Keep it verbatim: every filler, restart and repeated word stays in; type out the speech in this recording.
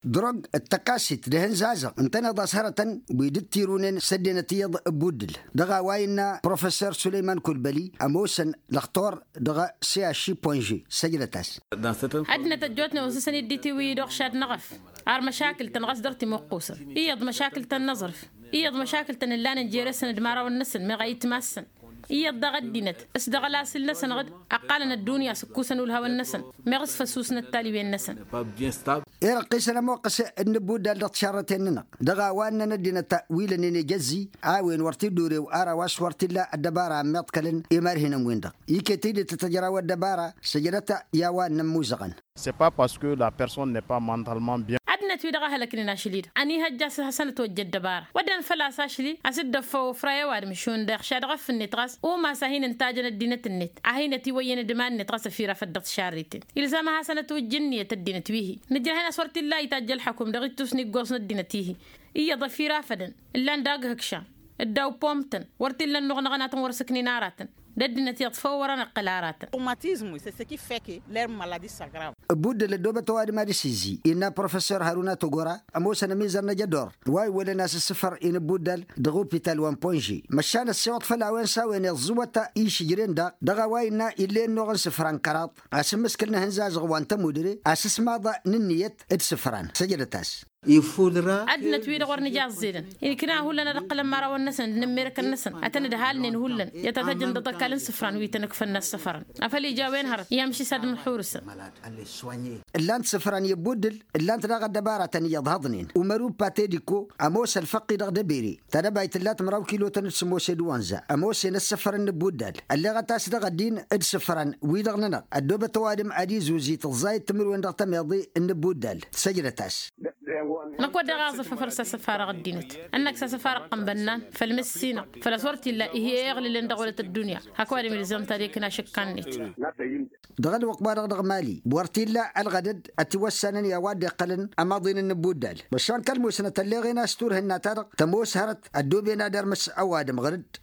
Drug d-tăkasit d-ehăn zazăɣ ǝntăneḍ a-s hărătăn wi dd-tirunen s-ăddinăt iyyăḍ. Ăbbuddǝl dăɣ-a-wa innă professor sulăyman kulbăli ămoosăn lăxtor dăɣ-siyaši ponže. Săjdăt-as. Ăddinăt ăjjootnen osăsăn-dd i-tiwǝyy d-oɣšad n-eɣăf ar măšakǝl-tăn ɣas dăr-timuqqusăn iyyăḍ măšakǝl-tăn n-aẓrǝf iyyăḍ măšakǝl-tăn ǝllanen jere-săn d-imărawăn-năsăn meɣ a itmas-săn iyyăḍ daɣ ăddinăt s-dăɣ-ălasǝl-năsăn ɣǝd ăqqalăn ăddunya s-ǝkkusăn ulhawăn-năsăn meɣ s-făssusnăt taliwen-năsăn. Irăqqisăn ămoqqăs d-inǝbbuddal dăɣ-tišarrăten-nănăɣ dăɣ-a-wa ǝnnăn ăddinăt wi lănnen ejăzzi a-wen wăr t-dd-urew ar a-wa s-wăr t-illa ăddăbara ămmiḍkălăn. Imărhinăn-win-dăɣ iket-dd tăt-ăjraw ăddăbara săjdăt i-a-wa ǝnnăn imuzăɣăn. C'est pas parce que la personne n'est pas mentalement bien. Ăddinăt-wi-dăɣ a hălăknen ašăl-i-dăɣ ănihăjja a-s hasăn-ătwăjja ăddăbara wădden făl-a-s ašăl-i a-s dd-ăffăw ăfray ăwadǝm šund iɣša dăɣ-ăff-net ɣas umas a hin-ǝntajăn ăddinăt-net a hin-ătiwăyyăn d-iman-net ɣas ăfirafăt dăɣ-tišarriten. Ilzam ad-hasăn-ătwǝjj ǝnniyăt ăddinăt wi-hi-nǝjrăh-in a-s wăr t-illa itajj ălxăkum dăɣ-ittus n-iggoẓ n-ăddinăt-i-hi iyyăḍ ăfirafădăn ǝllan daɣ ihǝkšan dd-awpomtăn wăr t-illa ănnuɣ n-aɣănatăn wăr s-ǝknen aratăn d-ăddinăt iyyăḍ făw wăr-anăqqǝl aratăn. Traumatisme c'est ce qui fait que leur maladie s'aggrave. Ăbbuddăl ăddoobăt ăwadǝm ad-dăɣ-s izzi innă professor haruna togora ămoosăn ămizăr n-ajădor wa iwwălăn a-s ǝssǝfăr inǝbbuddal dăɣ-upital wa n-ponže. Măšan ăssiwăḍ făll-a-wen s-a-wen iẓẓǝwăt išǝjren daɣ dăɣ-a-wa innă ill'-e ănnuɣ n-isǝfran kăraḍ a-s ǝmmǝskǝl n-ehăn zazăɣ wa n-tămudre a-s ǝsmaḍ n-ǝnniyăt d-isǝfran. Săjdăt-as. Ăddinăt-wi-dăɣ wăr nǝja ăẓẓedăn inǝkna hullan ad-ǝqqǝlăn imărawăn-năsăn d-inǝmmerkăn-năsăn ad-tăn-dd-halnen hullan i-ad-tăt-ăjăn dăɣ-ăkall n-isǝfran wi tăn-ǝkfăn n-assăfărăn afăl ija a-wen hărăt i-amšisad mǝnḥurǝsăn. Ǝllan-t isǝfran i-ăbbuddǝl ǝllan-t daɣ ăddăbaratăn iyyăḍ hăḍnen umăru patediko ămoos ălfăqqi dăɣ-debere tadăbayt tǝllat măraw kilotăn d-sămoos edwănza ămoos-en ăssăfăr n-inǝbbuddal ălleɣăt a-s dăɣ-ăddin d-isǝfran-wi-dăɣ-nănăɣ ăddoobăt ăwadǝm ad-izuzǝy tǝẓẓayăt timǝrwen dăɣ-tămeḍe n-inǝbbuddal. Săjdăt-as. Năkk wădden aẓǝf afăl s-asăfarăɣ ăddinăt ănnăk s-asăfarăɣ ăqqăn bănnan făll-mǝssinăɣ făl a-s wăr t-illa ih'-e iɣlǝlăn dăɣ-wălăt ăddunya hak ăwadǝm ilzăm tadek n-ašǝkka-net. Dăɣ-ălwăqq-wa-dăɣ dăɣ-mali wăr t-illa ălɣădăd ătiwăssanăn i-a-wa dd-iqqălăn ămaḍin n-inǝbbuddal măšan kăl-musnăt ălleɣen a-s turhǝnna-ta-dăɣ tămoos hărăt ăddooben ad-irmǝs ăwadǝm ɣǝr-dd.